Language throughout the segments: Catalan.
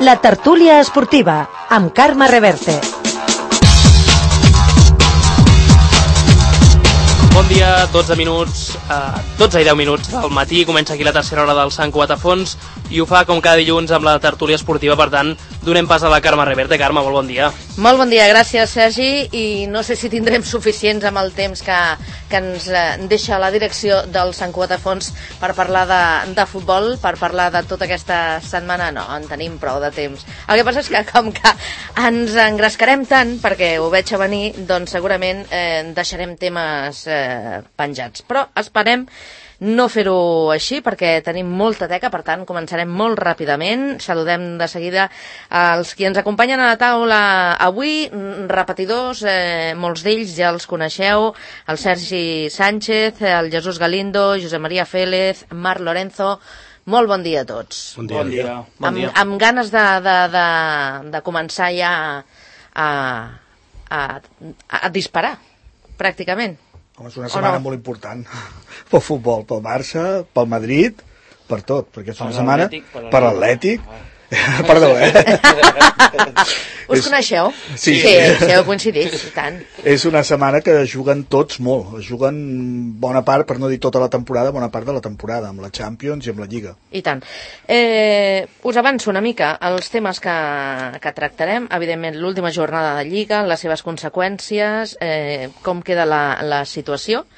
La tertúlia esportiva, amb Carme Reverte. Bon dia, 12 i 10 minuts del matí, comença aquí la tercera hora del Sant Cuatafons i ho fa com cada dilluns amb la tertúlia esportiva, per tant, donem pas a la Carme Reverte. Carme, molt bon dia. Molt bon dia, gràcies Sergi, i no sé si tindrem suficients amb el temps que ens deixa la direcció del Sant Cuatafons per parlar de futbol, per parlar de tota aquesta setmana. No, en tenim prou de temps. El que passa és que com que ens engrescarem tant, perquè ho veig a venir, doncs segurament deixarem temes penjats. Però esperem no fer-ho així, perquè tenim molta teca, per tant començarem molt ràpidament. Saludem de seguida els qui ens acompanyen a la taula avui, repetidors, molts d'ells ja els coneixeu: el Sergi Sánchez, el Jesús Galindo, Josep Maria Félez, Marc Lorenzo. Molt bon dia a tots. Bon dia. Amb ganes de començar ja a disparar, pràcticament. Home, és una setmana molt important pel futbol, pel Barça, pel Madrid, per tot, perquè és una setmana per l'Atlètic. Perdó, Us coneixeu? Sí, heu coincidit, i tant. És una setmana que juguen tots molt, juguen bona part, per no dir tota la temporada, bona part de la temporada, amb la Champions i amb la Lliga. I tant. Us avanço una mica els temes que tractarem. Evidentment, l'última jornada de Lliga, les seves conseqüències, com queda la situació.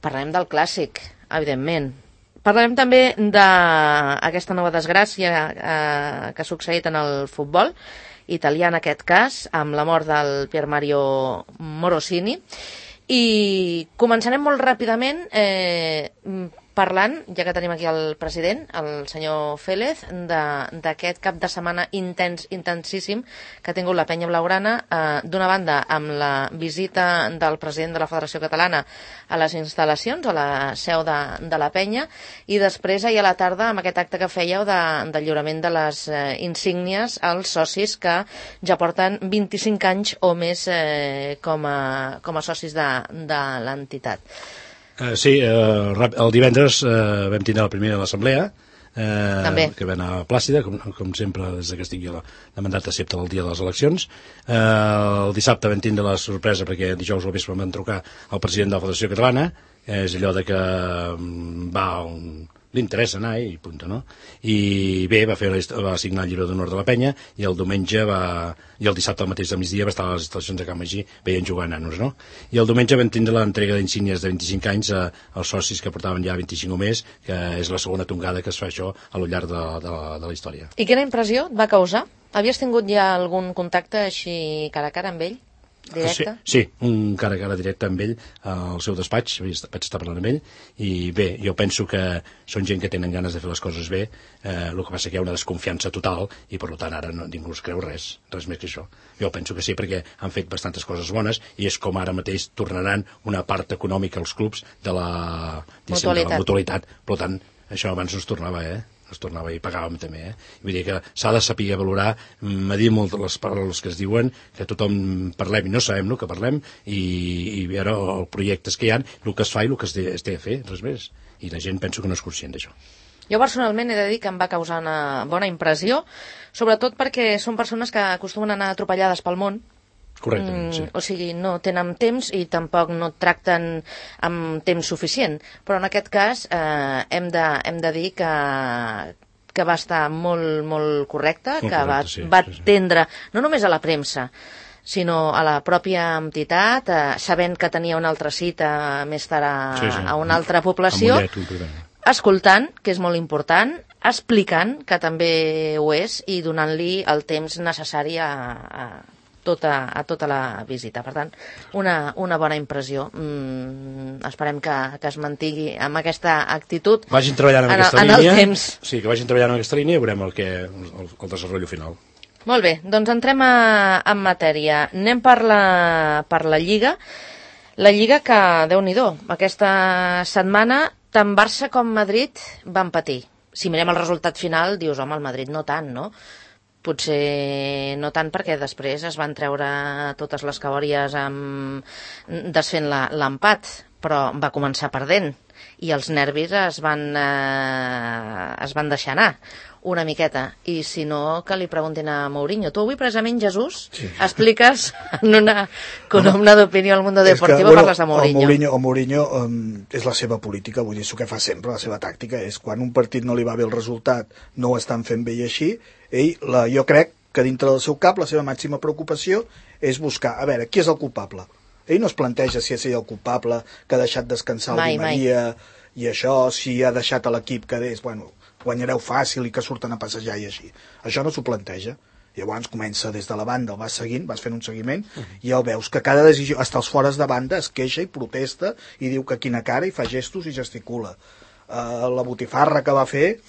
Parlarem del Clàssic, evidentment. Parlarem també d'aquesta nova desgràcia que ha succeït en el futbol italià, en aquest cas, amb la mort del Pier Mario Morosini. I començarem molt ràpidament parlant, ja que tenim aquí el president, el senyor Félez, d'aquest cap de setmana intensíssim que ha tingut la penya blaugrana, d'una banda amb la visita del president de la Federació Catalana a les instal·lacions, a la seu de la penya, i després ahir a la tarda amb aquest acte que fèieu de lliurament de les insígnies als socis que ja porten 25 anys o més com a socis de l'entitat. Sí, el divendres vam tindre la primera assemblea, que va anar plàcida, com sempre, des que estigui de mandat excepte el dia de les eleccions. El dissabte vam tindre la sorpresa, perquè dijous al vespre vam trucar al president de la Federació Catalana. És allò de que li interessa anar i punt, no? I bé, va signar el llibre d'honor de la penya, i el diumenge i el dissabte al mateix de migdia va estar a les instal·lacions de Can Magí veient jugar nanos, no? I el diumenge vam tindre l'entrega d'insígnies de 25 anys als socis que portaven ja 25 o més, que és la segona tongada que es fa això a lo llarg de la història. I quina impressió et va causar? Havies tingut ja algun contacte així cara a cara amb ell? Directe? Sí, un cara a cara directe amb ell al seu despatx, vaig estar parlant amb ell, i bé, jo penso que són gent que tenen ganes de fer les coses bé. El que passa que hi ha una desconfiança total i per tant ara ningú es creu res més que això. Jo penso que sí, perquè han fet bastantes coses bones, i és com ara mateix tornaran una part econòmica als clubs de la mutualitat. Per tant, això abans no es tornava i pagàvem també, Vull dir que s'ha de saber valorar, medir molt les paraules que es diuen, que tothom parlem i no sabem el que parlem, i veure els projectes que hi ha, el que es fa i el que es té a fer, res més. I la gent penso que no és conscient d'això. Jo personalment he de dir que em va causar una bona impressió, sobretot perquè són persones que acostumen a anar atropellades pel món. Correctament, sí. O sigui, no tenen temps i tampoc no tracten amb temps suficient, però en aquest cas hem de dir que va estar molt correcte, que va atendre no només a la premsa, sinó a la pròpia entitat, sabent que tenia una altra cita més tard a una altra població, escoltant, que és molt important, explicant, que també ho és, i donant-li el temps necessari a tota la visita. Per tant, una bona impressió. Esperem que es mantingui amb aquesta actitud vagin treballant en aquesta línia. El temps. Sí, que vagin treballant en aquesta línia i veurem el desenvolupament final. Molt bé, doncs entrem en matèria. Anem per la Lliga. La Lliga que, Déu-n'hi-do, aquesta setmana tant Barça com Madrid van patir. Si mirem el resultat final, dius, home, el Madrid no tant, no? Potser no tant, perquè després es van treure totes les cabòries desfent l'empat, però va començar perdent i els nervis es van es van deixar anar una miqueta, i si no, que li preguntin a Mourinho. Tu avui, precisament, Jesús, expliques en una columna d'opinió al Mundo Deportivo, parles de Mourinho. El Mourinho és la seva política, vull dir, això que fa sempre, la seva tàctica, és quan un partit no li va bé el resultat, no ho estan fent bé i així, jo crec que dintre del seu cap la seva màxima preocupació és buscar, a veure, qui és el culpable? Ell no es planteja si és ell el culpable, que ha deixat descansar el Di Maria, i això, si ha deixat a l'equip que és, bueno, guanyareu fàcil i que surten a passejar i així. Això no s'ho planteja. Llavors comença des de la banda, el vas seguint, vas fent un seguiment, i ja veus que cada decisió, fins als fores de banda, es queixa i protesta, i diu que quina cara, i fa gestos i gesticula. La botifarra que va fer,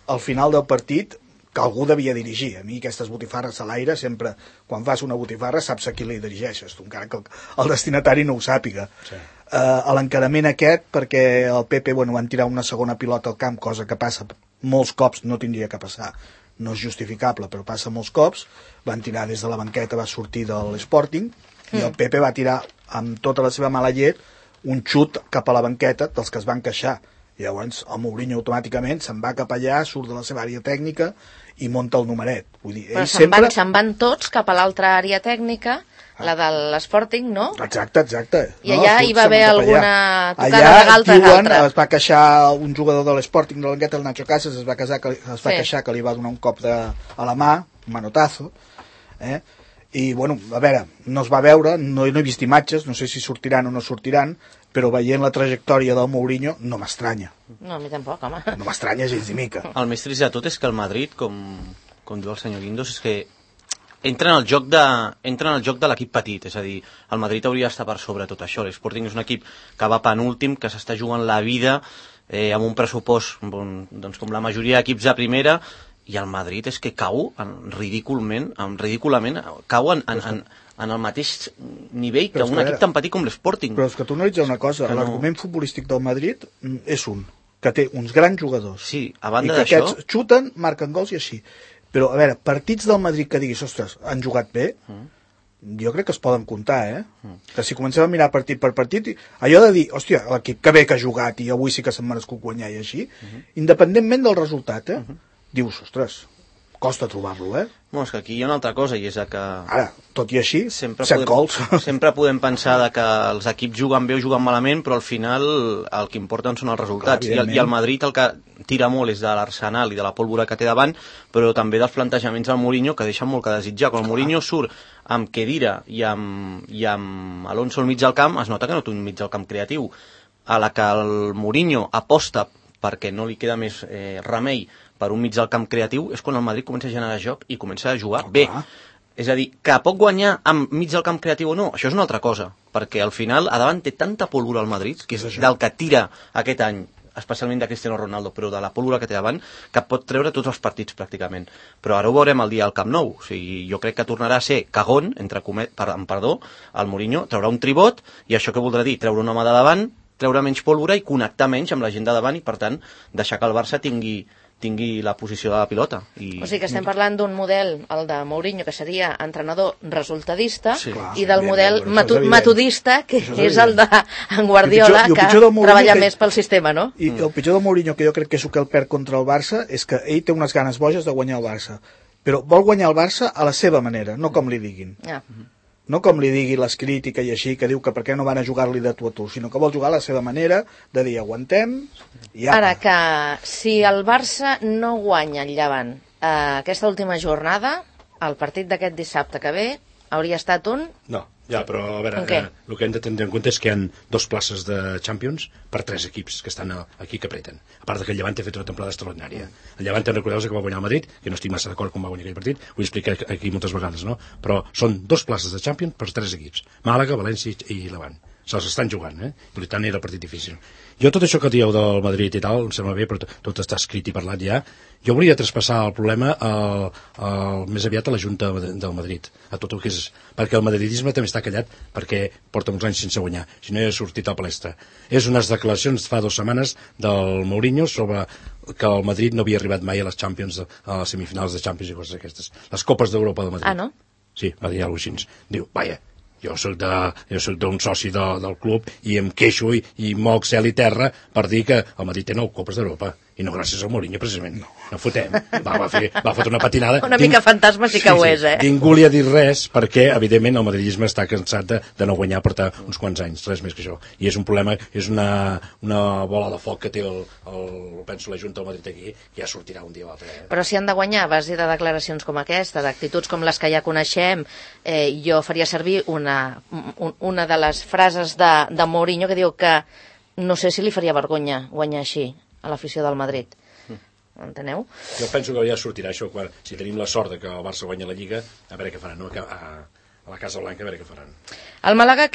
al final del partit, que algú devia dirigir. A mi aquestes botifarres a l'aire, sempre, quan fas una botifarra, saps a qui li dirigeixes, encara que el destinatari no ho sàpiga. Sí. A l'encarament aquest, perquè el Pepe van tirar una segona pilota al camp, cosa que passa molts cops, no tindria que passar, no és justificable, però passa molts cops, van tirar des de la banqueta, va sortir de l'Sporting, i el Pepe va tirar amb tota la seva mala llet un xut cap a la banqueta dels que es van queixar. I llavors el Mourinho automàticament se'n va cap allà, surt de la seva àrea tècnica i monta el numeret. Vull dir, però se'n van tots cap a l'altra àrea tècnica, la de l'Sporting, no? Exacte. I allà hi va haver alguna tocada de galta d'altra. Es va queixar un jugador de l'Sporting de la banqueta, el Nacho Casas, es va queixar que li va donar un cop a la mà, un manotazo, i bueno, a veure, no es va veure, no he vist imatges, no sé si sortiran o no sortiran, però veient la trajectòria del Mourinho no m'estranya. No, a mi tampoc, home. No m'estranya gens ni mica. El més trist de tot és que el Madrid, com diu el senyor Guindos, és que entra en el joc de l'equip petit, és a dir, el Madrid hauria d'estar per sobre tot això. L'Sporting és un equip que va penúltim, que s'està jugant la vida amb un pressupost doncs, com la majoria d'equips de primera, i el Madrid és que cau ridículament, cau en el mateix nivell que un equip tan petit com l'Sporting. Però és que tu analitzes una cosa, l'argument futbolístic del Madrid és que té uns grans jugadors, sí, a banda i que d'això aquests xuten, marquen gols i així. Però, a veure, partits del Madrid que diguis, ostres, han jugat bé, jo crec que es poden comptar, Que si comencem a mirar partit per partit, allò de dir, hòstia, l'equip que bé que ha jugat i avui sí que s'han merescut guanyar i així, independentment del resultat, dius, ostres, costa trobar-lo, No, és que aquí hi ha una altra cosa, i és que... Ara, tot i així, 7 gols. Sempre podem pensar que els equips juguen bé o juguen malament, però al final el que importen són els resultats. Clar, i el Madrid el que tira molt és de l'Arsenal i de la pólvora que té davant, però també dels plantejaments del Mourinho, que deixen molt que desitjar. Quan el Mourinho surt amb Khedira i amb Alonso al mig del camp, es nota que no té un mig del camp creatiu. A la que el Mourinho aposta perquè no li queda més remei per un mig del camp creatiu, és quan el Madrid comença a generar joc i comença a jugar bé. És a dir, que pot guanyar amb mig del camp creatiu o no, això és una altra cosa, perquè al final a davant té tanta pólvora al Madrid, que és del que tira aquest any, especialment de Cristiano Ronaldo, però de la pólvora que té davant, que pot treure tots els partits pràcticament. Però ara ho veurem el dia al Camp Nou. O sigui, jo crec que tornarà a ser cagón, el Mourinho, traurà un tribot, i això què voldrà dir? Treure un home de davant, treure menys pólvora i connectar menys amb la gent de davant i, per tant, deixar que el Barça tingui la posició de la pilota. O sigui que estem parlant d'un model, el de Mourinho, que seria entrenador resultadista, i del model metodista, que és el d'en Guardiola, que treballa més pel sistema, no? I el pitjor del Mourinho, que jo crec que és el que el perd contra el Barça, és que ell té unes ganes boges de guanyar el Barça, però vol guanyar el Barça a la seva manera, no com li diguin. No com li digui les crítiques i així, que diu que per què no van a jugar-li de tu a tu, sinó que vol jugar a la seva manera de dir aguantem i apa. Ara, que si el Barça no guanya el Llevant aquesta última jornada, el partit d'aquest dissabte que ve hauria estat un... No, ja, però a veure, el que hem de tenir en compte és que hi ha 2 places de Champions per 3 equips que estan aquí que apreten. A part que el Llevant ha fet una temporada extraordinària. El Llevant, recordeu-vos que va guanyar el Madrid, que no estic massa d'acord com va guanyar aquell partit, ho he explicat aquí moltes vegades, no? Però són 2 places de Champions per 3 equips. Màlaga, València i Llevant. Se'ls estan jugant, Per tant era el partit difícil. Jo tot això que dieu del Madrid i tal, em sembla bé, però tot està escrit i parlat ja. Jo volia traspassar el problema més aviat a la Junta del Madrid, a tot el que és... Perquè el madridisme també està callat perquè porta uns anys sense guanyar, si no hi ha sortit a palestra. És unes declaracions fa 2 setmanes del Mourinho sobre que el Madrid no havia arribat mai a les Champions, a les semifinals de Champions i coses aquestes. Les Copes d'Europa del Madrid. Ah, no? Sí, va dir alguna cosa així. Diu, vaja, jo soc d'un soci del club i em queixo i moc cel i terra per dir que el Madrid té 9 Copes d'Europa i no gràcies al Mourinho, precisament. No fotem. Va fotre una patinada. Una mica fantasma sí que ho és, Ningú li ha dit res, perquè, evidentment, el madridisme està cansat de no guanyar portar uns quants anys, res més que això. I és un problema, és una bola de foc que té penso la Junta del Madrid aquí, que ja sortirà un dia o altre. Però si han de guanyar a base de declaracions com aquesta, d'actituds com les que ja coneixem, jo faria servir una de les frases de Mourinho que diu que no sé si li faria vergonya guanyar així a l'afició del Madrid. Enteneu? Jo penso que ja sortirà això, si tenim la sort de que el Barça guanya la Lliga, a veure què faran, no? A la Casa Blanca, a veure què faran. El Màlaga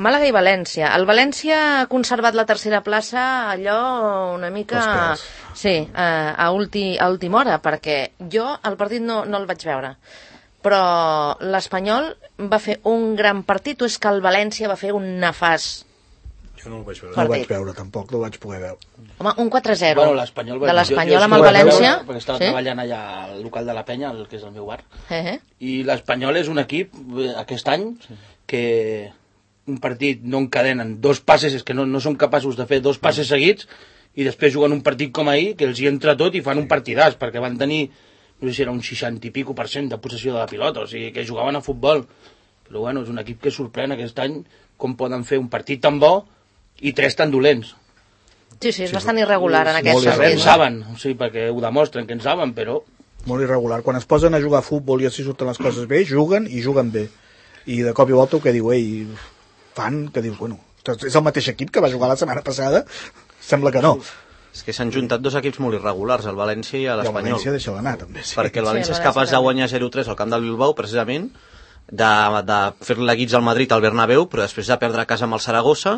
Màlaga i València. El València ha conservat la tercera plaça allò una mica... Sí, a última hora, perquè jo el partit no el vaig veure. Però l'Espanyol va fer un gran partit, o és que el València va fer un nefast? Jo no el vaig veure. No el vaig veure, tampoc, no el vaig poder veure. Home, un 4-0 de l'Espanyol amb el València. Perquè estava treballant allà al local de la Penya, que és el meu bar. I l'Espanyol és un equip, aquest any, que un partit no encadenen dos passes, és que no són capaços de fer dos passes seguits, i després juguen un partit com ahir, que els hi entra tot i fan un partidàs, perquè van tenir, no sé si era un 60 i pico % de possessió de la pilota, o sigui, que jugaven a futbol. Però bueno, és un equip que sorprèn aquest any com poden fer un partit tan bo i 3 tan dolents. Sí, és bastant irregular en aquest sentit. En saben, o sigui, perquè ho demostren que en saben, però... Molt irregular. Quan es posen a jugar a futbol i així surten les coses bé, juguen i juguen bé. I de cop i volta el que diu, fan, que dius, bueno, és el mateix equip que va jugar la setmana passada? Sembla que no. És que s'han juntat dos equips molt irregulars, el València i l'Espanyol. I el València deixa d'anar, també, sí. Perquè el València és capaç de guanyar 0-3 al camp del Bilbao, precisament, de fer-li guits al Madrid al Bernabéu, però després de perdre a casa amb el Saragossa,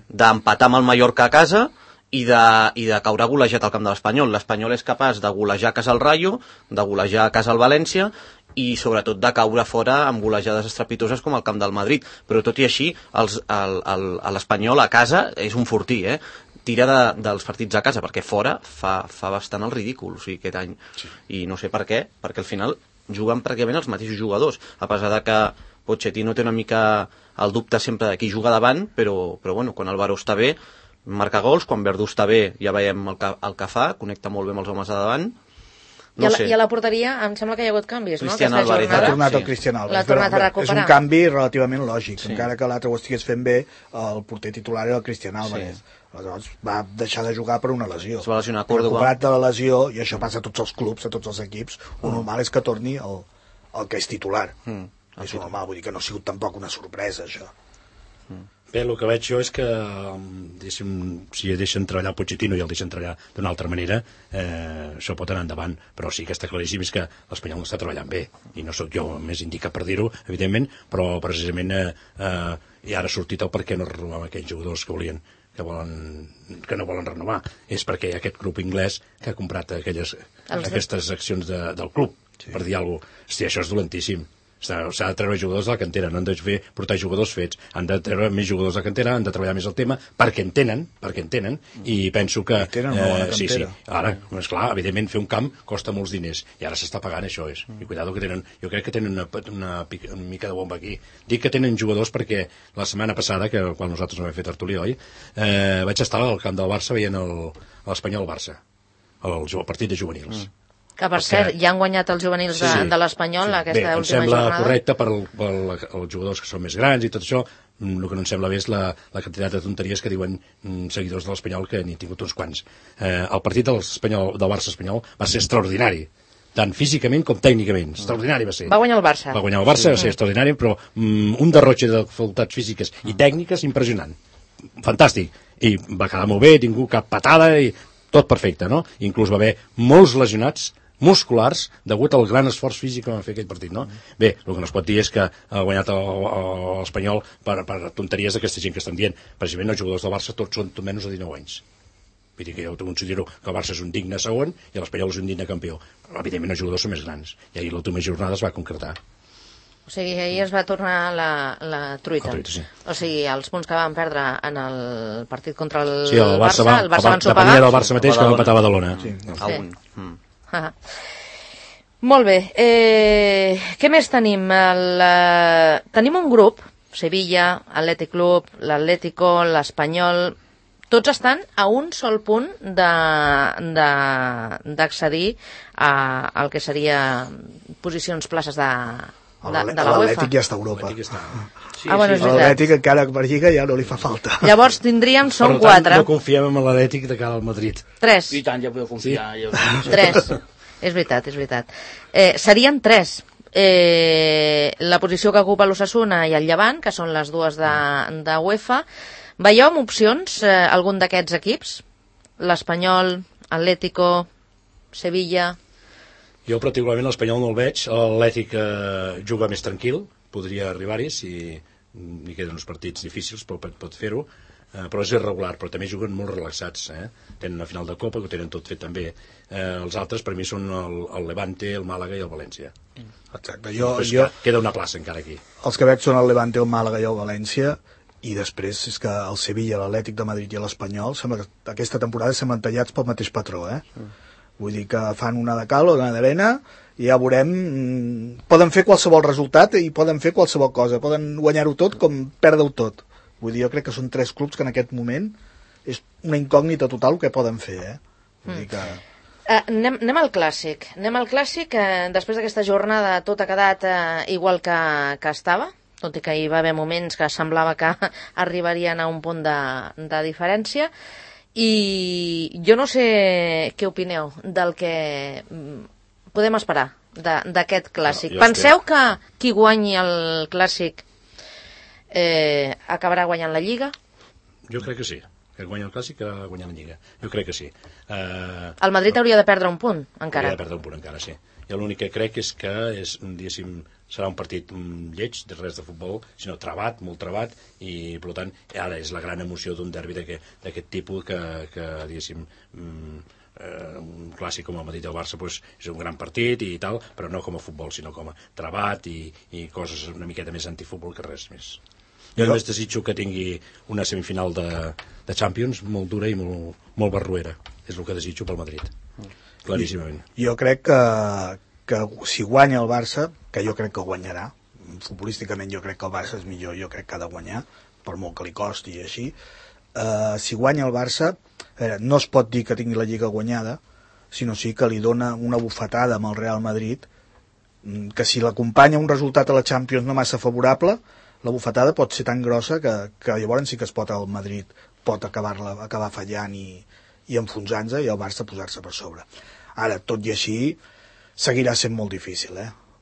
d'empatar amb el Mallorca a casa i de caure golejat al camp de l'Espanyol. L'Espanyol és capaç de golejar a casa el Rayo, de golejar a casa el València i sobretot de caure fora amb golejades estrepitoses com al camp del Madrid. Però tot i així, l'Espanyol a casa és un fortí, tira dels partits a casa, perquè fora fa bastant el ridícul, o sigui, aquest any. Sí. I no sé per què, perquè al final juguen pràcticament els mateixos jugadors, a pesar de que Pochettino té una mica el dubte sempre de qui juga davant, però bueno, quan Álvaro està bé, marca gols, quan Verdú està bé ja veiem el que fa, connecta molt bé amb els homes de davant. No sé. I a la porteria em sembla que hi ha hagut canvis, Cristian no? Álvarez ha tornat el Cristian Álvarez. L'ha tornat a recuperar. És un canvi relativament lògic, encara que l'altre ho estigués fent bé, el porter titular era el Cristian Álvarez. Sí. Aleshores va deixar de jugar per una lesió. Es va lesionar a Córdoba. Recuperat de la lesió, i això passa a tots els clubs, a tots els equips, el normal és que torni el que és titular. És normal, vull dir que no ha sigut tampoc una sorpresa, això. Bé, el que veig jo és que si deixen treballar el Pochettino i el deixen treballar d'una altra manera, això pot anar endavant, però sí que està claríssim és que l'Espanyol no està treballant bé, i no sóc jo més indicat per dir-ho, evidentment, però precisament ja ara ha sortit el per què no renovar aquells jugadors que no volen renovar. És perquè hi ha aquest grup anglès que ha comprat aquestes accions del club, per dir alguna cosa. Hosti, això és dolentíssim. S'ha de treure jugadors de la cantera, no han de portar jugadors fets, han de treure més jugadors de la cantera, han de treballar més el tema, perquè en tenen, i penso que... Sí, ara, esclar, evidentment fer un camp costa molts diners, i ara s'està pagant, això és. I cuidado que tenen, jo crec que tenen una mica de bomba aquí. Dic que tenen jugadors perquè la setmana passada, que quan nosaltres no vam fer tertúlia, oi? Vaig estar al camp del Barça veient l'Espanyol-Barça, el partit de juvenils. Que, per cert, ja han guanyat els juvenils de l'Espanyol aquesta última jornada. Em sembla correcte per als jugadors que són més grans i tot això. El que no em sembla bé és la quantitat de tonteries que diuen seguidors de l'Espanyol, que n'hi he tingut uns quants. El partit del Barça espanyol va ser extraordinari, tant físicament com tècnicament. Extraordinari va ser. Va guanyar el Barça. Va guanyar el Barça, va ser extraordinari, però un derrotge de facultats físiques i tècniques impressionant. Fantàstic. I va quedar molt bé, ningú cap patada i tot perfecte, no? Inclús va haver molts lesionats musculars degut al gran esforç físic que van fer aquell partit, no? Bé, el que no es pot dir és que ha guanyat l'Espanyol per tonteries d'aquesta gent que estan dient. Precisament els jugadors del Barça tots són menys de 19 anys. Vull dir que jo considero que el Barça és un digne segon i l'Espanyol és un digne campió. Però, evidentment, els jugadors són més grans. I ahir l'última jornada es va concretar. O sigui, ahir es va tornar la truita. Sí. O sigui, els punts que van perdre en el partit contra el Barça van ensopegar. Depenia del Barça mateix que va empatar a Badalona. Sí. Molt bé. Què més tenim? Tenim un grup, Sevilla, Atlètic Club, l'Atlético, l'Espanyol, tots estan a un sol punt d'accedir al que seria posicions, places de la UEFA. L'Atlètic ja està a Europa. L'Atlètic encara per Lliga ja no li fa falta. Llavors tindríem, són 4. Per tant, no confiem en l'Atlètic de cara al Madrid. 3. I tant, ja podeu confiar. 3. És veritat. Serien 3. La posició que ocupa l'Osasuna i el Llevant, que són les dues de UEFA. Veieu amb opcions algun d'aquests equips? L'Espanyol, Atlético, Sevilla... Jo particularment l'Espanyol no el veig, l'Atlètic juga més tranquil, podria arribar-hi si hi queden uns partits difícils, però pot fer-ho, però és irregular, però també juguen molt relaxats, tenen una final de Copa, que ho tenen tot fet també. Els altres per mi són el Levante, el Màlaga i el València. Exacte. Queda una plaça encara aquí. Els que veig són el Levante, el Màlaga i el València, i després és que el Sevilla, l'Atlètic de Madrid i l'Espanyol aquesta temporada semblen tallats pel mateix patró, Vull dir que fan una de cal o una d'arena i ja veurem, poden fer qualsevol resultat i poden fer qualsevol cosa, poden guanyar-ho tot com perdre-ho tot. Vull dir, jo crec que són 3 clubs que en aquest moment és una incògnita total el que poden fer, Vull dir que... Anem al clàssic. Després d'aquesta jornada tot ha quedat igual que estava, tot i que hi va haver moments que semblava que arribarien a un punt de diferència. I jo no sé què opineu del que podem esperar d'aquest clàssic. Penseu que qui guanyi el clàssic acabarà guanyant la Lliga? Jo crec que sí. Que guanya el clàssic que guanya la Lliga. Jo crec que sí. El Madrid hauria de perdre un punt, encara. Hauria de perdre un punt, encara, sí. Jo l'únic que crec és que serà un partit lleig, de res de futbol, sinó trebat, molt trebat, i per tant ara és la gran emoció d'un derbi d'aquest tipus que diguéssim, un clàssic com el Madrid i el Barça és un gran partit i tal, però no com a futbol, sinó com a trebat i coses una miqueta més antifutbol que res més. Jo només desitjo que tingui una semifinal de Champions molt dura i molt barruera. És el que desitjo pel Madrid. Claríssimament. Jo crec que si guanya el Barça, que jo crec que guanyarà, futbolísticament jo crec que el Barça és millor, jo crec que ha de guanyar, per molt que li costi i així, si guanya el Barça, no es pot dir que tingui la Lliga guanyada, sinó sí que li dona una bufetada amb el Real Madrid, que si l'acompanya un resultat a la Champions no massa favorable, la bufetada pot ser tan grossa que llavors sí que es pot el Madrid pot acabar fallant i enfonsant-se i el Barça posar-se per sobre. Ara, tot i així, seguirà sent molt difícil,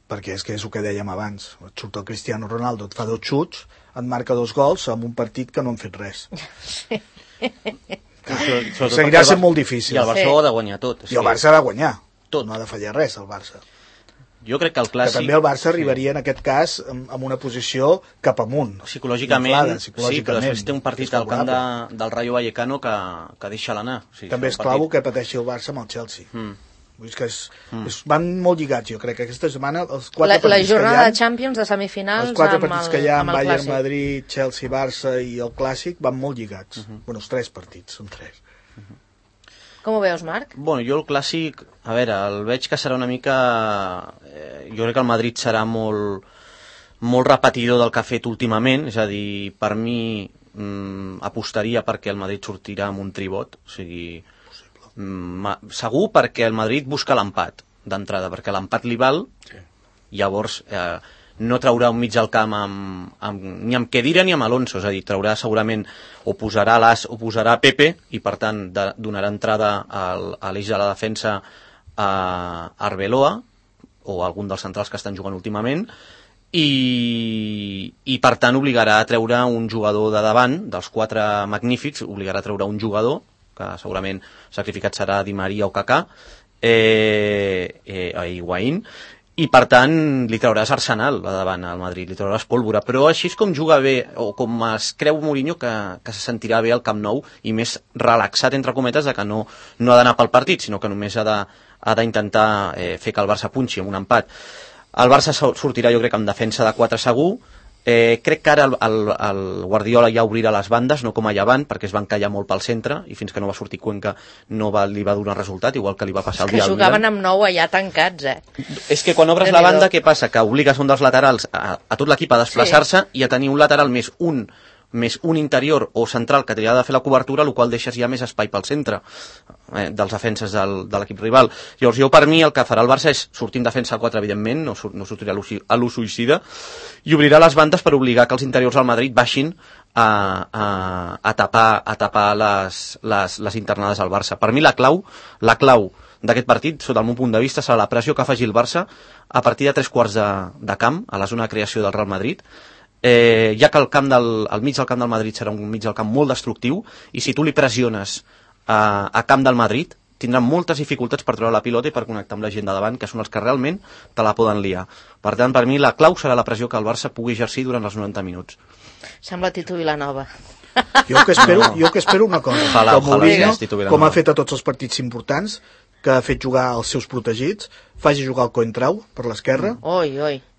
perquè és que és el que dèiem abans. Et surt el Cristiano Ronaldo, et fa 2 xuts, et marca 2 gols en un partit que no han fet res. Seguirà sent molt difícil. I el Barça ho ha de guanyar tot. I el Barça ha de guanyar. Tot. No ha de fallar res, el Barça. Jo crec que el clàssic... Que també el Barça arribaria en aquest cas en una posició cap amunt. Psicològicament, sí, però després té un partit al camp del Rayo Vallecano que deixa l'anar. També és clau que pateixi el Barça amb el Chelsea. Vull dir que van molt lligats, jo crec que aquesta setmana els 4 partits que hi ha... La jornada de Champions de semifinals els 4 partits que hi ha amb Bayern, Madrid, Chelsea, Barça i el Clàssic van molt lligats. Bueno, els 3 partits, són 3. Com ho veus, Marc? Bueno, jo el Clàssic, a veure, el veig que serà una mica... Jo crec que el Madrid serà molt repetidor del que ha fet últimament, és a dir, per mi apostaria perquè el Madrid sortirà amb un tribot, o sigui... segur perquè el Madrid busca l'empat d'entrada, perquè l'empat li val, llavors no traurà un mig al camp ni amb Khedira ni amb Alonso, és a dir, traurà segurament o posarà l'As o posarà Pepe i per tant donarà entrada a l'eix de la defensa a Arbeloa o a algun dels centrals que estan jugant últimament i per tant obligarà a treure un jugador de davant dels 4 magnífics, obligarà a treure un jugador que segurament sacrificat serà Di Maria o Kaká a Higuaín, i per tant li trauràs Arsenal a davant al Madrid, li trauràs pólvora, però així és com juga bé o com es creu Mourinho que se sentirà bé al Camp Nou i més relaxat entre cometes de que no ha d'anar pel partit, sinó que només ha d'intentar fer que el Barça punxi amb un empat. El Barça sortirà jo crec amb defensa de 4 segur. Crec que ara el Guardiola ja obrirà les bandes, no com a Llevant, perquè es van callar molt pel centre i fins que no va sortir Cuenca li va donar resultat, igual que li va passar el dia al Milan. Que jugaven amb 9 allà tancats, És que quan obres la banda, què passa? Que obligues un dels laterals a tot l'equip a desplaçar-se i a tenir un lateral més un més un interior o central que t'ha de fer la cobertura, el qual deixes ja més espai pel centre dels defenses de l'equip rival. Llavors jo, per mi, el que farà el Barça és sortir en defensa a 4, evidentment, no sortirà a l'ús suïcida, i obrirà les bandes per obligar que els interiors del Madrid baixin a tapar les internades al Barça. Per mi la clau d'aquest partit, sota el meu punt de vista, serà la pressió que faci el Barça a partir de 3/4 de camp, a la zona de creació del Real Madrid, ja que el mig del camp del Madrid serà un mig del camp molt destructiu, i si tu li pressiones a camp del Madrid, tindran moltes dificultats per treure la pilota i per connectar amb la gent de davant, que són els que realment te la poden liar. Per tant, per mi, la clau serà la pressió que el Barça pugui exercir durant els 90 minuts. Sembla Tito Vilanova. Jo que espero una cosa, com ha fet a tots els partits importants, que ha fet jugar els seus protegits, faci jugar el Coentrao per l'esquerra,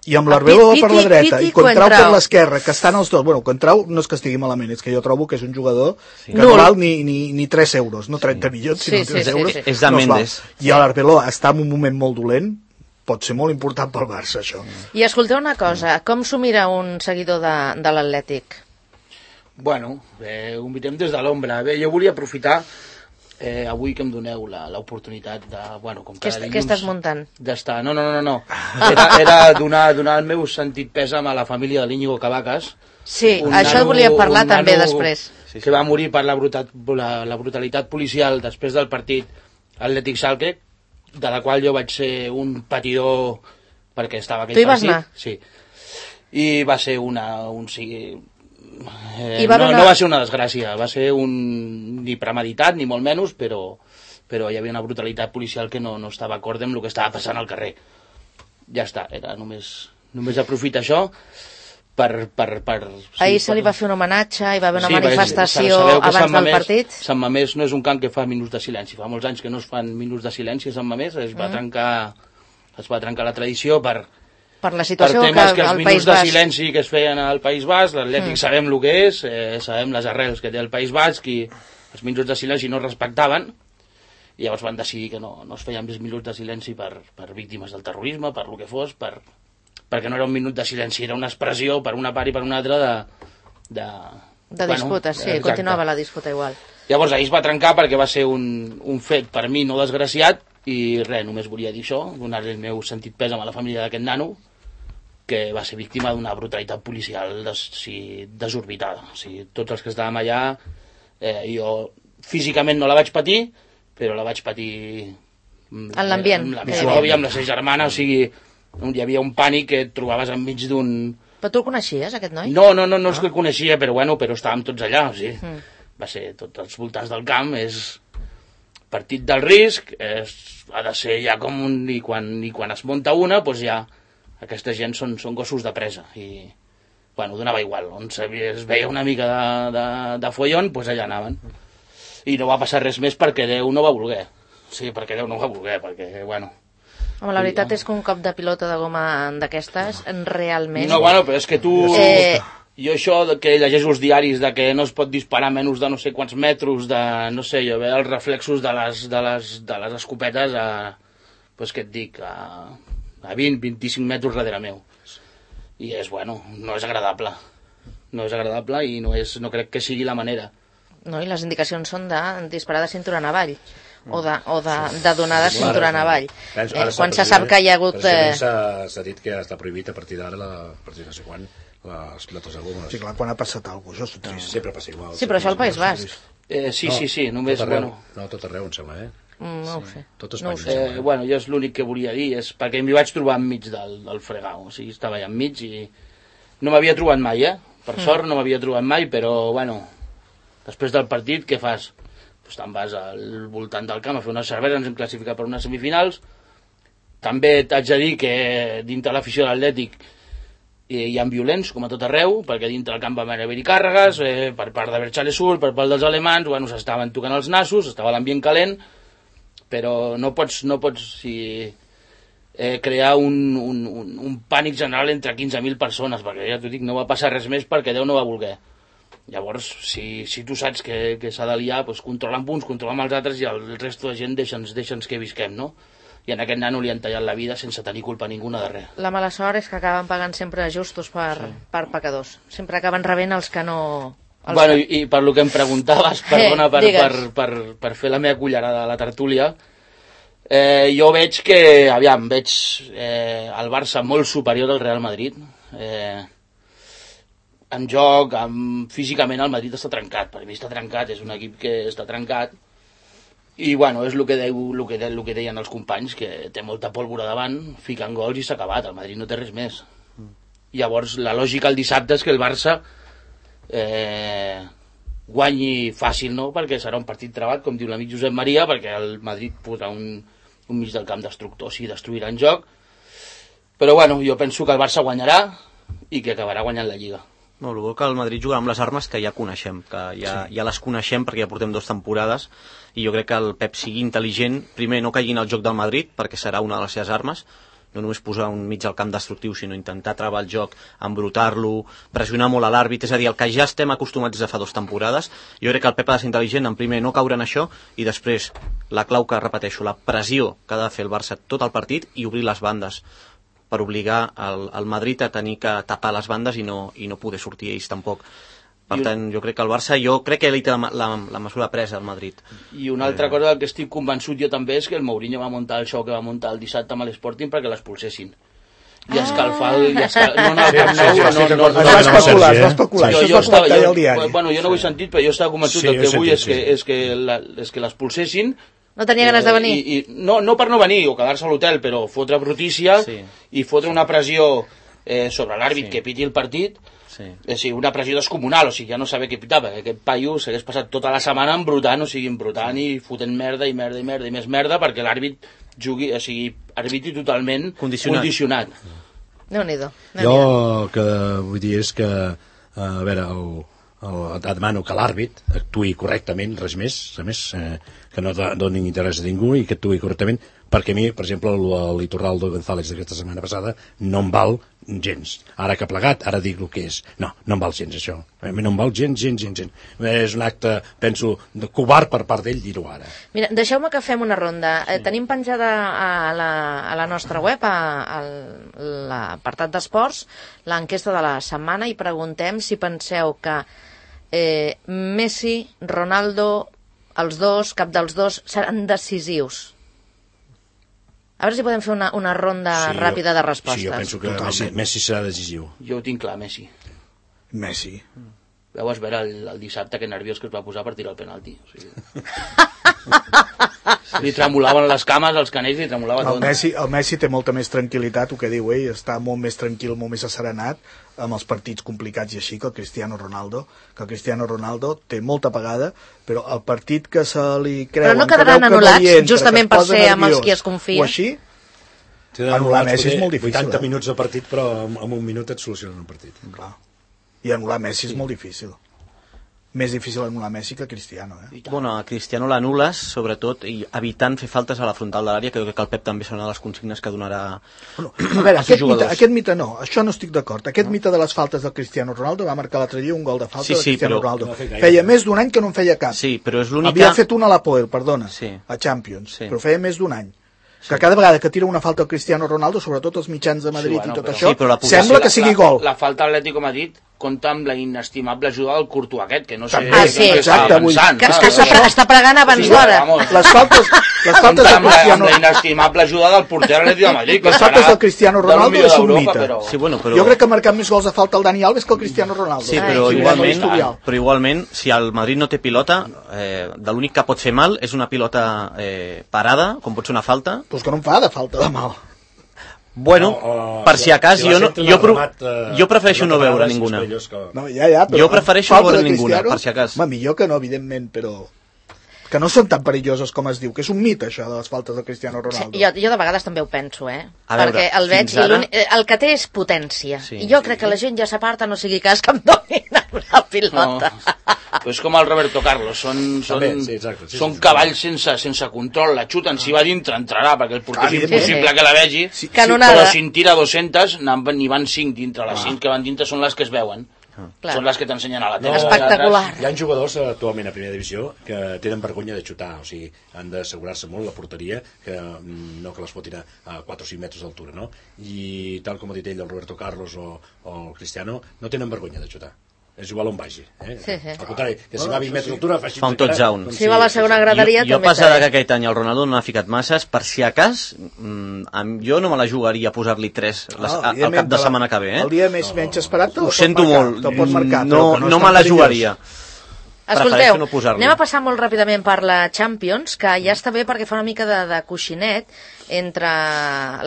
i amb l'Arbeloa per la dreta, i Coentrao per l'esquerra, que estan els dos. Bueno, Coentrao no és que estigui malament, és que jo trobo que és un jugador que no val ni 3 euros, no 30 milions, sinó 3 euros. És de Mendes. I l'Arbeloa està en un moment molt dolent, pot ser molt important pel Barça, això. I escolteu una cosa, com s'ho mira un seguidor de l'Atlètic? Bueno, ho mirem des de l'ombra. Bé, jo volia aprofitar avui que em doneu l'oportunitat de... Bueno, com cada dilluns... Què estàs muntant? D'estar... No. Era donar el meu sentit pèsam a la família de l'Íñigo Cavacas. Sí, això volia parlar també després. Que va morir per la brutalitat policial després del partit Atlètic Schalke, de la qual jo vaig ser un patidor perquè estava aquell partit. Tu hi vas anar? Sí. I va ser no va ser una desgràcia, va ser ni premeditat, ni molt menys, però hi havia una brutalitat policial que no estava acord amb el que estava passant al carrer. Ja està, era només aprofitar això per ahir se li va fer un homenatge, hi va haver una manifestació abans del partit. Sant Mamés no és un camp que fa minuts de silenci, fa molts anys que no es fan minuts de silenci a Sant Mamés, es va trencar la tradició per la situació que els minuts de silenci que es feien al País Basc, l'Atlètic sabem el que és, sabem les arrels que té el País Basc, i els minuts de silenci no es respectaven, i llavors van decidir que no es feien més minuts de silenci per víctimes del terrorisme, per el que fos, perquè no era un minut de silenci, era una expressió per una part i per una altra de disputa, sí, continuava la disputa igual. Llavors ahir es va trencar perquè va ser un fet per mi no desgraciat, i res, només volia dir això, donar-li el meu sentit pèsam a la família d'aquest nano, que va ser víctima d'una brutalitat policial desorbitada. O sigui, tots els que estàvem allà, jo físicament no la vaig patir, però la vaig patir en l'ambient, amb la meva nòvia, amb la seva germana, o sigui, hi havia un pànic que et trobaves enmig d'un... Però tu el coneixies, aquest noi? No és que el coneixia, però estàvem tots allà, o sigui, va ser tots els voltants del camp, és partit del risc, ha de ser ja com i quan es munta una, doncs ja aquesta gent són gossos de presa, i donava igual, on es veia una mica de follon, doncs allà anaven. I no va passar res més perquè Déu no va voler. Sí, perquè Déu no va voler, perquè, Home, la veritat és que un cop de pilota de goma d'aquestes, realment... No, però és que tu... Jo això que llegeixo els diaris de que no es pot disparar menys de no sé quants metres, de, no sé, jo veia els reflexos de les escopetes doncs què et dic, a 20-25 metres darrere meu. I no és agradable. No és agradable i no crec que sigui la manera. No, i les indicacions són de disparar de cintura en avall. O de donar de cintura en avall. Quan se sap que hi ha hagut... S'ha dit que està prohibit a partir d'ara, a partir de no sé quan, les pilotes de goma. Sí, clar, quan ha passat alguna cosa, això és sempre passa igual. Sí, però això al País Basc. Sí, només... No, tot arreu, em sembla, No ho sé. Tot Espanya. Jo és l'únic que volia dir, és perquè m'hi vaig trobar enmig del fregau, o sigui, estava allà enmig i no m'havia trobat mai, per sort no m'havia trobat mai, però, després del partit, què fas? Doncs te'n vas al voltant del camp a fer unes cerveses, ens hem classificat per unes semifinals. També t'haig de dir que dintre l'afició de l'Atlètic hi ha violents, com a tot arreu, perquè dintre del camp van haver-hi càrregues, per part de Berchale Sur, per part dels alemans, s'estaven tocant els nassos, estava l'ambient calent, però no pots crear un pànic general entre 15.000 persones, perquè ja t'ho dic, no va passar res més perquè Déu no va voler. Llavors, si tu saps que s'ha de liar, doncs controla amb uns, controla amb els altres, i el resto de gent deixa'ns que visquem, no? I a aquest nano li han tallat la vida sense tenir culpa ninguna de res. La mala sort és que acaben pagant sempre justos per pecadors. Sempre acaben rebent els que no Bueno, i per lo que em preguntaves, perdona per fer la meva cullerada a la tertúlia, jo veig que, veig el Barça molt superior al Real Madrid. En joc, físicament el Madrid està trencat, per mi està trencat, és un equip que està trencat, i bueno, és el que deien els companys, que té molta pólvora davant, fiquen gols i s'ha acabat, el Madrid no té res més. Llavors la lògica el dissabte és que el Barça guanyi fàcil, no? Perquè serà un partit trebat, com diu l'amic Josep Maria, perquè el Madrid posarà un mig del camp destructor, sí, destruirà en joc, però bueno, jo penso que el Barça guanyarà i que acabarà guanyant la Lliga. No, el que el Madrid jugarà amb les armes que ja coneixem, que ja les coneixem perquè ja portem 2 temporades, i jo crec que el Pep sigui intel·ligent, primer no caigui en el joc del Madrid, perquè serà una de les seves armes, no només posar un mig al camp destructiu, sinó intentar travar el joc, embrutar-lo, pressionar molt a l'àrbit, és a dir, el que ja estem acostumats des de fa 2 temporades. Jo crec que el Pep ha de ser intel·ligent, en primer no caure en això, i després la clau que repeteixo, la pressió que ha de fer el Barça tot el partit i obrir les bandes, per obligar el Madrid a tenir que tapar les bandes i no poder sortir ells tampoc. Per tant, jo crec que el Barça, que ell té la mesura presa al Madrid. I una altra cosa del que estic convençut jo també és que el Mourinho va muntar el show que va muntar el dissabte amb l'Sporting perquè l'expulsessin. I escalfar el... Es va especular. Jo no ho he sentit, però jo estava convençut que el que vull és que l'expulsessin. No tenia ganes de venir? No per no venir o quedar-se a l'hotel, però fotre brutícia i fotre una pressió sobre l'àrbit que piti el partit. Sí, una pressió descomunal, o sigui, ja no saber què pitar, perquè aquest paio s'hagués passat tota la setmana embrutant i fotent merda i més merda perquè l'àrbit jugui, o sigui, arbitri totalment condicionat. Déu-n'hi-do. Jo el que vull dir és que, a veure, demano que l'àrbit actuï correctament, res més, que no doni interès a ningú i que actuï correctament, perquè a mi, per exemple, l'Iturraldo González d'aquesta setmana passada no em val gens. Ara que ha plegat, ara dic el que és. No em val gens, això. A mi no em val gens. És un acte, penso, de covard per part d'ell dir-ho ara. Mira, deixeu-me que fem una ronda. Tenim penjada a la nostra web, a l'apartat d'esports, l'enquesta de la setmana, i preguntem si penseu que Messi, Ronaldo, els dos, cap dels dos, seran decisius. A veure si podem fer una ronda ràpida de respostes. Sí, jo penso que Messi serà decisiu. Jo ho tinc clar, Messi. Vau veure el dissabte que nerviós que es va posar per tirar el penalti. O sigui... li tremolaven les cames, els canells, li tremolava tot. El Messi té molta més tranquil·litat, el que diu ell, està molt més tranquil, molt més asserenat amb els partits complicats i així que el Cristiano Ronaldo, té molta pagada, però el partit que se li creuen... Però no quedaran anul·lats, justament per ser amb els qui es confia? O així, anul·lar Messi és molt difícil. 80 minuts de partit, però en un minut et solucionen un partit. Clar. I anul·lar Messi és molt difícil. Més difícil anul·lar Messi que Cristiano. Bueno, a Cristiano l'anul·les, sobretot, i evitant fer faltes a la frontal de l'àrea, que jo crec que el Pep també serà una de les consignes que donarà a veure, aquest mite no, això no estic d'acord. Aquest mite de les faltes del Cristiano Ronaldo va marcar l'altre dia un gol de falta de Cristiano Ronaldo. Feia més d'un any que no en feia cap. Sí, però és l'única... Havia fet una a l'Apoel, perdona, a Champions, però feia més d'un any. Que cada vegada que tira una falta al Cristiano Ronaldo, sobretot els mitjans de Madrid i tot això, sembla que sigui gol. La falta a l'Atlético Madrid compta amb la inestimable ajuda del Courtois aquest, que no sé... exacte, està pregant abans d'hora. Les faltes del Cristiano... Amb la inestimable ajuda del porter Atlético de Madrid. Les faltes del Cristiano Ronaldo és un mite. Jo crec que ha marcat més gols de falta el Dani Alves que el Cristiano Ronaldo. Sí, però igualment, si el Madrid no té pilota, de l'únic que pot fer mal és una pilota parada, com pot ser una falta. Doncs que no em fa de falta de mal. Bueno, per si a cas, jo prefereixo no veure ninguna. Jo prefereixo no veure ninguna, per si a cas. Millor que no, evidentment, però... que no són tan perilloses com es diu, que és un mite això de les faltes del Cristiano Ronaldo. Jo de vegades també ho penso, perquè el veig, el que té és potència, i jo crec que la gent ja s'aparta, no sigui cas que em donin una pilota. És com el Roberto Carlos, són cavalls sense control, la xuten, si va dintre entrarà, perquè el porter és impossible que la vegi, però si en tira 200 n'hi van 5 dintre, les 5 que van dintre són les que es veuen. Són les que t'ensenyen a la tele. Espectacular. Hi ha jugadors actualment a primera divisió que tenen vergonya de xutar, o sigui, han d'assegurar-se molt la porteria, que no que les fotin a 4 o 5 metres d'altura, no? I tal com ha dit ell, el Roberto Carlos o el Cristiano, no tenen vergonya de xutar. és igual on vagi. Al contrari, que si va a 20 metres d'altura fa un touchdown. Si va a la segona graderia jo passada que aquest any el Ronaldo no ha ficat masses, per si a cas jo no me la jugaria a posar-li 3 al cap de setmana que ve. El dia menys esperat ho sento molt, no me la jugaria. Escolteu, anem a passar molt ràpidament per la Champions, que ja està bé perquè fa una mica de coixinet entre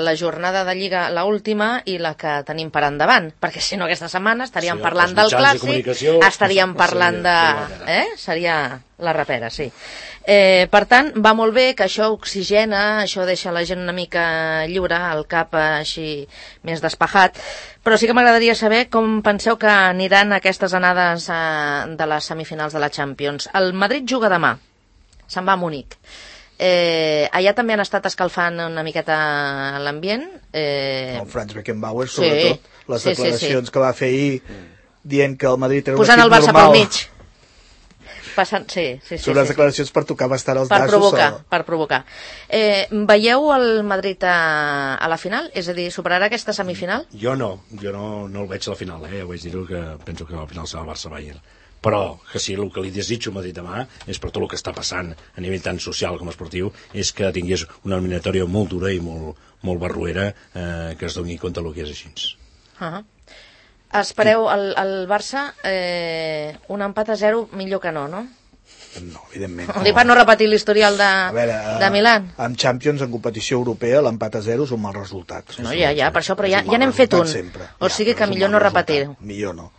la jornada de Lliga, la última, i la que tenim per endavant, perquè si no aquesta setmana estaríem parlant del Clàssic, estaríem parlant de... Seria la rapera, sí. Per tant, va molt bé que això oxigena, això deixa la gent una mica lliure, el cap així més despejat, però sí que m'agradaria saber com penseu que aniran aquestes anades de les semifinals de la Champions. El Madrid juga demà, se'n va a Munic. Allà també han estat escalfant una miqueta l'ambient. El Franz Beckenbauer, sobretot, les declaracions que va fer ahir dient que el Madrid era un posant equip normal. Posant el Barça pel mig. Sí. Són les declaracions per tocar bastant els nassos. Per provocar. Veieu el Madrid a la final? És a dir, superarà aquesta semifinal? Jo no el veig a la final, ja vaig dir-ho, que penso que a la final serà el Barça-Bayern. Però que sí, el que li desitjo a Madrid demà és, per tot el que està passant a nivell tant social com esportiu, és que tingués una eliminatòria molt dura i molt barruera, que es doni compte del que és així. Espereu el Barça un empat a 0 millor que no? No, evidentment. Per no repetir l'historial de Milan. En Champions, en competició europea, l'empat a 0 és un mal resultat. No, ja, per això, però ja n'hem fet un. O sigui que millor no repetir-ho. Millor no.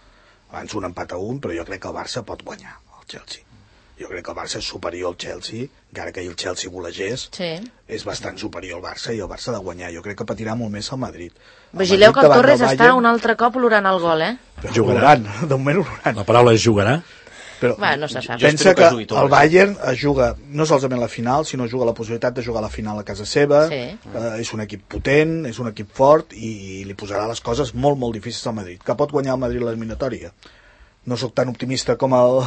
Abans un empat a 1, però jo crec que el Barça pot guanyar el Chelsea. Jo crec que el Barça és superior al Chelsea, encara que el Chelsea volegés, és bastant superior al Barça, i el Barça ha de guanyar. Jo crec que patirà molt més el Madrid. Vigileu que el Torres està un altre cop olorant el gol, Jugarà, de moment olorant. La paraula és jugarà. Però no se sap. Pensa que el Bayern juga no solament la final, sinó juga la possibilitat de jugar la final a casa seva. És un equip potent, és un equip fort, i li posarà les coses molt, molt difícils al Madrid. Que pot guanyar el Madrid l'eliminatòria? No sóc tan optimista com el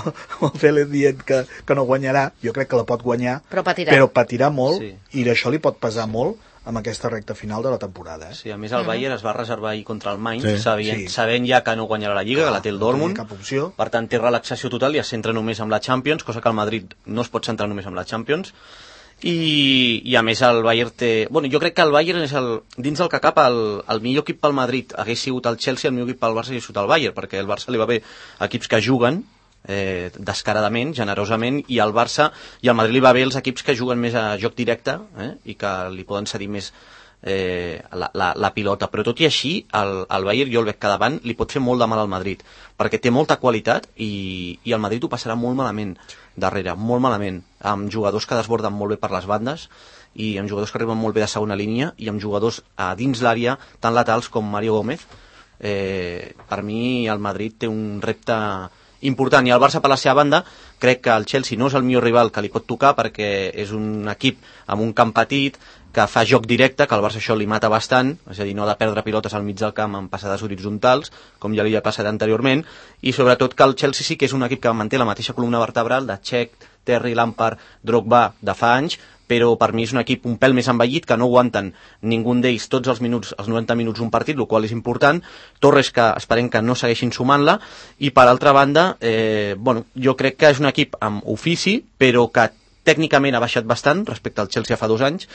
Félix dient que no guanyarà. Jo crec que la pot guanyar, però patirà molt, i això li pot pesar molt amb aquesta recta final de la temporada. Sí, a més el Bayern es va reservar ahir contra el Mainz, sabent ja que no guanyarà la Lliga, que la té el Dortmund, per tant té relaxació total i es centra només amb la Champions, cosa que el Madrid no es pot centrar només amb la Champions. I a més el Bayern té... jo crec que el Bayern és dins del que cap el millor equip pel Madrid hagués sigut el Chelsea, el millor equip pel Barça hagués sigut el Bayern, perquè el Barça li va bé equips que juguen descaradament, generosament, i al Barça i al Madrid li va bé els equips que juguen més a joc directe i que li poden cedir més la pilota, però tot i així el Bayern jo el veig que davant li pot fer molt de mal al Madrid, perquè té molta qualitat i el Madrid ho passarà molt malament darrere, molt malament, amb jugadors que desborden molt bé per les bandes i amb jugadors que arriben molt bé de segona línia i amb jugadors a dins l'àrea tan laterals com Mario Gómez. Per mi el Madrid té un repte important, i el Barça per la seva banda crec que el Chelsea no és el millor rival que li pot tocar, perquè és un equip amb un camp petit que fa joc directe, que al Barça això li mata bastant, és a dir, no ha de perdre pilotes al mig del camp amb passades horitzontals, com ja li ha passat anteriorment, i sobretot que el Chelsea sí que és un equip que manté la mateixa columna vertebral de Cech, Terry, Lampard, Drogba de fa anys, però per mi és un equip un pèl més envellit, que no aguanten ningú d'ells tots els minuts, els 90 minuts un partit, el qual és important. Torres, que esperem que no segueixin sumant-la, i per altra banda, jo crec que és un equip amb ofici, però que tècnicament ha baixat bastant respecte al Chelsea fa 2 anys,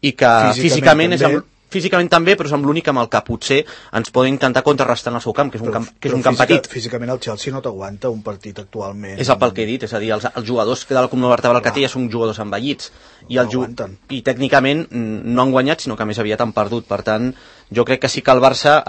i que físicament també, però és amb l'únic amb el que potser ens poden intentar contrarrestar en el seu camp, que és un camp petit. Físicament el Chelsea no t'aguanta un partit actualment. És el pel que he dit, és a dir, els jugadors de la columna vertebral que té ja són jugadors envellits, i tècnicament no han guanyat, sinó que més aviat han perdut. Per tant, jo crec que sí que el Barça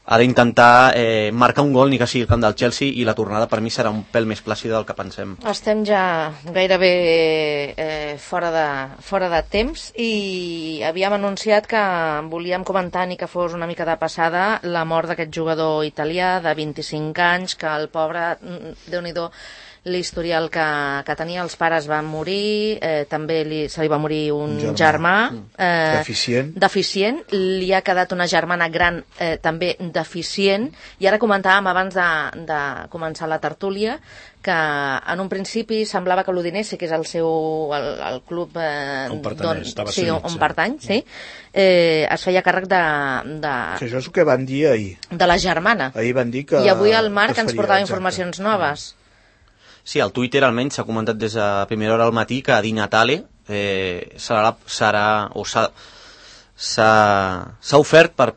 ha d'intentar marcar un gol, ni que sigui el camp del Chelsea, i la tornada per mi serà un pèl més plàcida del que pensem. Estem ja gairebé fora de temps, i havíem anunciat que volíem comentar, ni que fos una mica de passada, la mort d'aquest jugador italià de 25 anys, que el pobre, Déu-n'hi-do, l'historial que tenia. Els pares van morir, també se li va morir un germà deficient, li ha quedat una germana gran també deficient, i ara comentàvem abans de començar la tertúlia que en un principi semblava que l'Udinese, que és el club on pertany, es feia càrrec de... Això és el que van dir ahir. De la germana. Ahir van dir que... I avui el Marc ens portava informacions noves. Sí, al Twitter almenys s'ha comentat des de primera hora al matí que Di Natale s'ha ofert per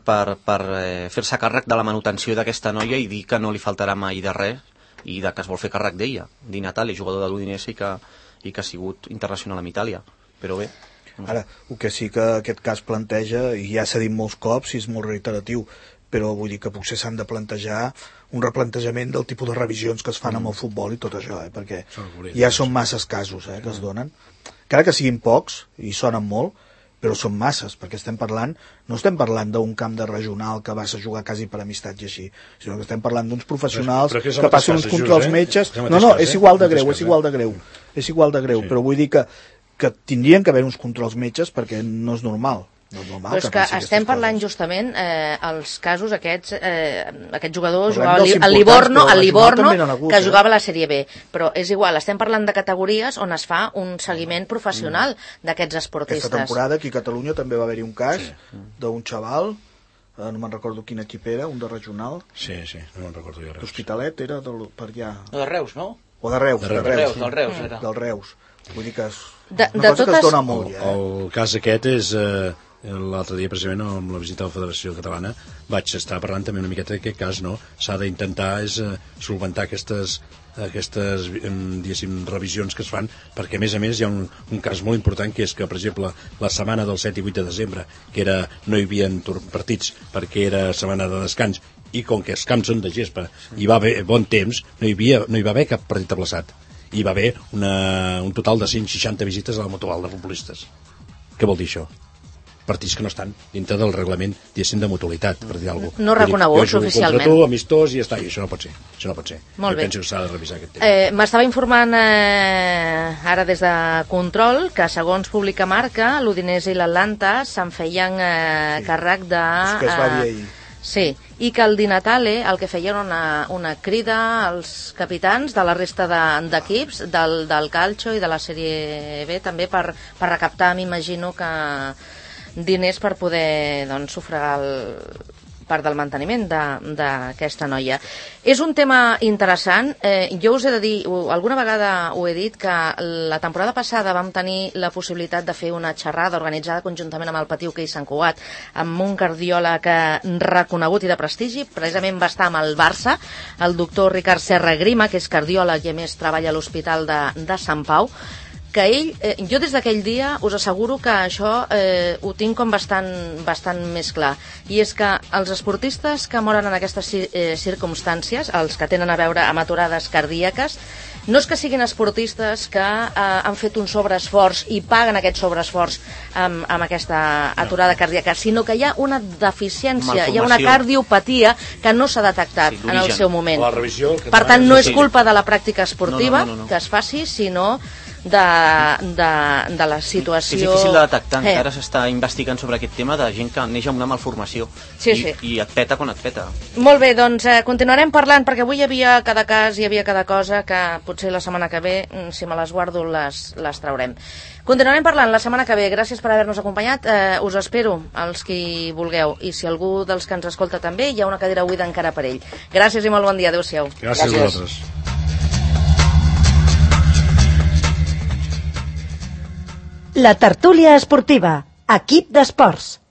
fer-se càrrec de la manutenció d'aquesta noia i dir que no li faltarà mai de res i que es vol fer càrrec d'ella. Di Natale, jugador de l'Udinese i que ha sigut internacional amb Itàlia. Però bé... Ara, el que sí que aquest cas planteja, i ja s'ha dit molts cops i és molt reiteratiu, però vull dir que potser s'han de plantejar un replantejament del tipus de revisions que es fan amb el futbol i tot això, perquè ja són masses casos que es donen. Encara que siguin pocs, i sonen molt, però són masses, perquè no estem parlant d'un camp de regional que vas a jugar quasi per amistat i així, sinó que estem parlant d'uns professionals que passen uns controls metges... No, és igual de greu, però vull dir que tindrien que haver uns controls metges perquè no és normal. Però és que estem parlant justament els casos aquests, aquest jugador jugava al Livorno, que jugava a la Sèrie B, però és igual, estem parlant de categories on es fa un seguiment professional d'aquests esportistes. Aquesta temporada aquí a Catalunya també va haver-hi un cas d'un xaval, no me'n recordo quin equip era, un de regional. Sí, no me'n recordo jo. L'Hospitalet era per allà. De Reus, no? O de Reus. Del Reus. Vull dir que és una cosa que es dona molt. El cas aquest és... L'altre dia, precisament, amb la visita a la Federació Catalana, vaig estar parlant també una miqueta d'aquest cas, no? S'ha d'intentar solventar aquestes diguéssim, revisions que es fan, perquè a més hi ha un cas molt important, que és que, per exemple, la setmana del 7 i 8 de desembre, que no hi havia partits perquè era setmana de descans, i com que els camps són de gespa i va haver bon temps, no hi va haver cap partit aplaçat. Hi va haver un total de 160 visites a la Motoval de futbolistes. Què vol dir això? Partits que no estan dintre del reglament, diguéssim, de mutualitat, per dir alguna cosa. No reconeguts oficialment. Jo jugo contra tu, amistós, i ja està, i això no pot ser. Molt bé. Jo penso que s'ha de revisar aquest tema. M'estava informant ara des de Control que, segons publica Marca, l'Udinese i l'Atlanta se'n feien càrrec de... És que es va dir ahir. Sí, i que el Di Natale el que feia era una crida als capitans de la resta d'equips del Calcio i de la Sèrie B també per recaptar, m'imagino que diners per poder sufragar part del manteniment d'aquesta noia. És un tema interessant. Jo us he de dir, alguna vegada ho he dit, que la temporada passada vam tenir la possibilitat de fer una xerrada organitzada conjuntament amb el Patí Hoquei Sant Cugat, amb un cardiòleg reconegut i de prestigi. Precisament va estar amb el Barça, el doctor Ricard Serra Grima, que és cardiòleg i a més treballa a l'Hospital de Sant Pau, que ell, jo des d'aquell dia us asseguro que això ho tinc com bastant més clar, i és que els esportistes que moren en aquestes circumstàncies, els que tenen a veure amb aturades cardíaques, no és que siguin esportistes que han fet un sobreesforç i paguen aquest sobreesforç amb aquesta aturada cardíaca, sinó que hi ha una deficiència, hi ha una cardiopatia que no s'ha detectat en el seu moment. Per tant, no és culpa de la pràctica esportiva que es faci, sinó de la situació... És difícil de detectar, encara s'està investigant sobre aquest tema de gent que neix amb una malformació i et peta quan et peta. Molt bé, doncs continuarem parlant, perquè avui hi havia cada cas, hi havia cada cosa que potser la setmana que ve, si me les guardo, les traurem. Continuarem parlant la setmana que ve. Gràcies per haver-nos acompanyat. Us espero, els qui vulgueu, i si algú dels que ens escolta també, hi ha una cadira buida encara per ell. Gràcies i molt bon dia. Adéu-siau. Gràcies a vosaltres. La tertúlia esportiva, equip d'esports.